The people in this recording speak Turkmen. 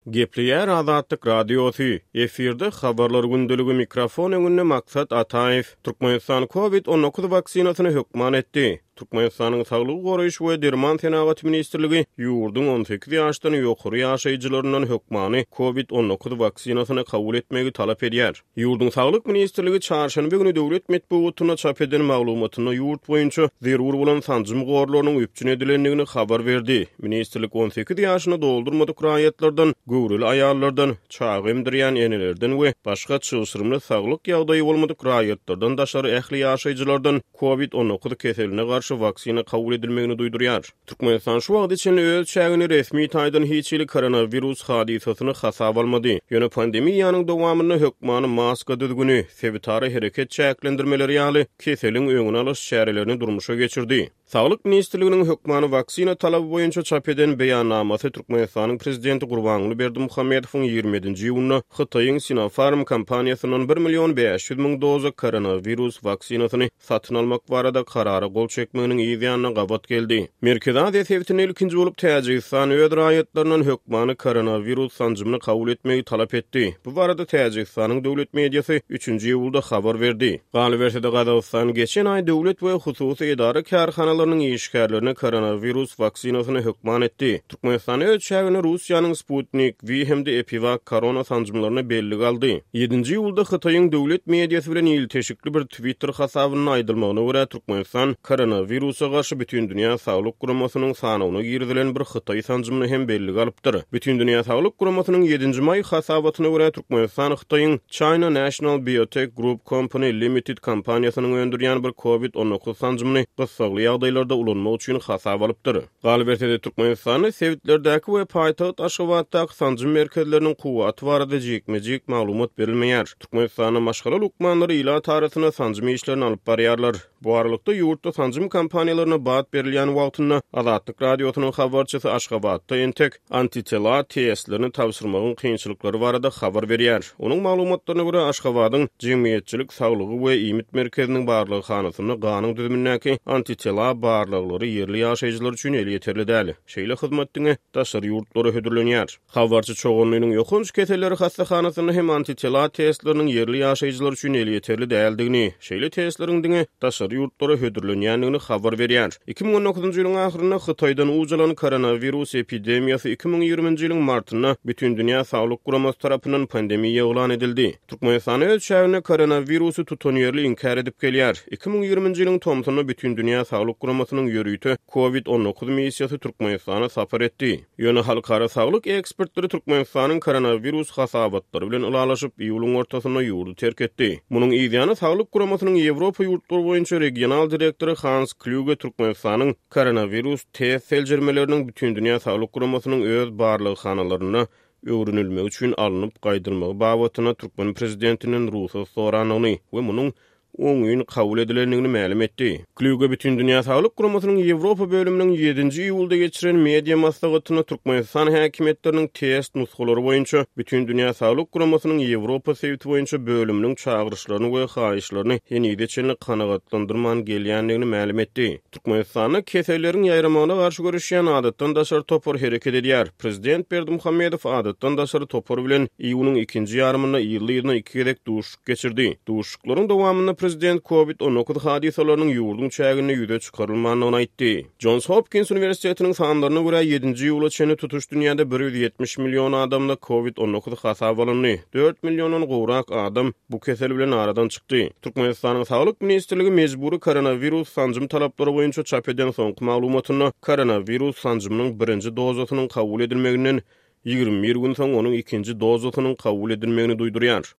Gepleýär Azatlyk Radiosy, efirde Habarlar gündeligi mikrofon öňünde Maksat Ataýew. Türkmenistan Covid 19 waksinasyny hökman etdi. Türkmenistanyň Saglygy goraýyş we derman senagaty ministrligi ýurduň 18 ýaşdan ýokary ýaşaýjylaryndan hökmany Covid 19 waksinasyny kabul etmegi talap edýär. Ýurduň Saglyk ministrligi çarşenbe güni döwlet metbugatynda çap eden maglumatynda ýurt boýunça zerur bolan sanjym gorlarynyň üpjün edilendigini habar berdi. Ministrlik 18 ýaşyny doldurmadyk raýatlardan, göwreli aýallardan, çaga emdirýän enelerden we başga çylşyrymly saglyk ýagdaýy bolmadyk raýatlardan daşary ähli ýaşaýjylardan Covid 19 keseline garşy waksina kabul edilmegini duýdurýar. Türkmenistan şu wagta çenli öz çäginde resmi taýdan hiç hili koronawirus hadysasyny hasaba almady. Ýöne pandemiýanyň dowamynda hökmany maska düzgüni, sebitara hereket çäklendirmeleri ýaly keseliň öňüni alyş çärelerini durmuşa geçirdi. Saglyk ministrliginiň hökmany waksina talaby boýunça çap eden beýannamasy Türkmenistanyň Prezidenti Gurbanguly Berdimuhamedowyň 27-nji iýunda Hytaýyň Sinopharm kompaniýasyndan bir million 500 müň doza koronawirus waksinasyny satyn almak barada karara gol çekmeginiň yz ýanyna gabat geldi. Merkezi Aziýa sebitinde ilkinji bolup Täjigistan öz raýatlaryndan hökmany koronawirus sanjymyny kabul etmegi talap etdi. Bu barada Täjigistanyň döwlet mediasy üçünji iýulda habar berdi. Galyberse-de, Gazagystan geçen aý döwlet we hususy edara-kärhanalarynyň işgärlerine koronawirus waksinasyny hökman etdi. Türkmenistan öz çäginde Russiýanyň Sputnik V hem-de EpiVak korona sanjymlaryna bellige aldy. Ýedinji iýulda Hytaýyň döwlet mediasy bilen ilteşikli bir Twitter hasabynda aýdylmagyna görä, Türkmenistan koronawirusa garşy Bütindünýä Saglyk Guramasynyň sanawyna girizilen bir hytaý sanjymyny hem bellige alypdyr. Bütindünýä Saglyk Guramasynyň ýedinji maý hasabatyna görä, Türkmenistan Hytaýyň China National Biotec Group Company Limited kompaniýasynyň öndürýän bir Covid 19 sanjymyny gyssagly ýagdaýlarda ulanmak üçin hasaba alypdyr. Galyberse-de, Türkmenistanda sebitlerdäki we paýtagt Aşgabatdaky sanjym merkezleriniň kuwwaty barada jikme-jik maglumat berilmeýär. Türkmenistanda maşgala lukmanlary ilat arasynda sanjym işlerini alyp barýarlar. Bu aralykda, ýurtda sanjym kampaniýalaryna bat berilýän wagtynda, Azatlyk Radiosynyň habarçysy Aşgabatda entek antitela testlerini tabşyrmagyň kynçylyklary barada habar berýär. Onuň maglumatlaryna görä, Aşgabadyň Jemgyýetçilik saglygy we iýmit merkeziniň barlaghanasynda ganyň düzümindäki antitela barlaglary ýerli ýaşaýjylar üçin elýeterli däl. Şeýle hyzmat diňe daşary ýurtlara hödürlenýär. Habarçy Çoganlynyň ýokanç keselleri hassahanasynda hem antitela testleriniň ýerli ýaşaýjylar üçin elýeterli däldigini, şeýle testleriň diňe daşary ýurtlara hödürlenýändigini habar berýär. 2019-njy ýylyň ahyrynda Hytaýdan uç alan koronawirus epidemiýasy 2020-nji ýylyň martynda Bütindünýä Saglyk Guramasy tarapyndan pandemiýa yglan edildi. Türkmenistan öz çäginde koronawirusy tutanýerli inkär edip gelýär. 2020-nji ýylyň tomsunda Bütindünýä Saglyk Guramasynyň ýörite Covid 19 missiýasy Türkmenistana sapar etdi. Ýöne halkara saglyk ekspertleri Türkmenistanyň koronawirus hasabatlary bilen ylalaşyp, iýulyň ortasynda ýurdy terk etdi. Munuň yzýany Saglyk guramasynyň Ýewropa ýurtlary boýunça regional direktory Hans Klýuge Türkmenistanyň koronawirus test seljermeleriniň Bütindünýä Saglyk Guramasynyň öz barlaghanalarynda öwrenilmegi üçin alnyp gaýdylmagy babatynda türkmen prezidentinden rugsat sorandygyny we munuň oňyn kabul edilendigini mälim etdi. Klýuge Bütindünýä Saglyk Guramasynyň Ýewropa bölüminiň ýedinji iýulda geçiren media maslahatynda Türkmenistan häkimiýetleriniň test nusgalary boýunça Bütindünýä Saglyk Guramasynyň Ýewropa sebiti boýunça bölüminiň çagyryşlaryny we haýyşlaryny henize çenli kanagatlandyrman gelýändigini mälim etdi. Türkmenistanda keselleriň ýaýramagyna garşy göreşýän adatdan daşary topar hereket edýär. Prezident Berdimuhamedow adatdan daşary topar bilen iýunyň ikinji ýarymynda yzly-yzyna iki gezek duşuşyk geçirdi. Duşuşyklaryň dowamynda prezident Covid 19 hadysalarynyň ýurduň çäginde ýüze çykarylmandygyny aýtdy. Jons Hopkins uniwersitetiniň sanlaryna görä, ýedinji iýula çenli tutuş dünýäde 170 million adamda Covid 19 hasaba alyndy. Dört milliondan gowrak adam bu kesel bilen aradan çykdy. Türkmenistanyň Saglyk ministrligi mejbury koronawirus sanjym talaplary boýunça çap eden soňky maglumatynda koronawirus sanjymynyň birinji dozasynyň kabul edilmeginden 21 gün soň onuň ikinji dozasynyň kabul edilmegini duýdurýar.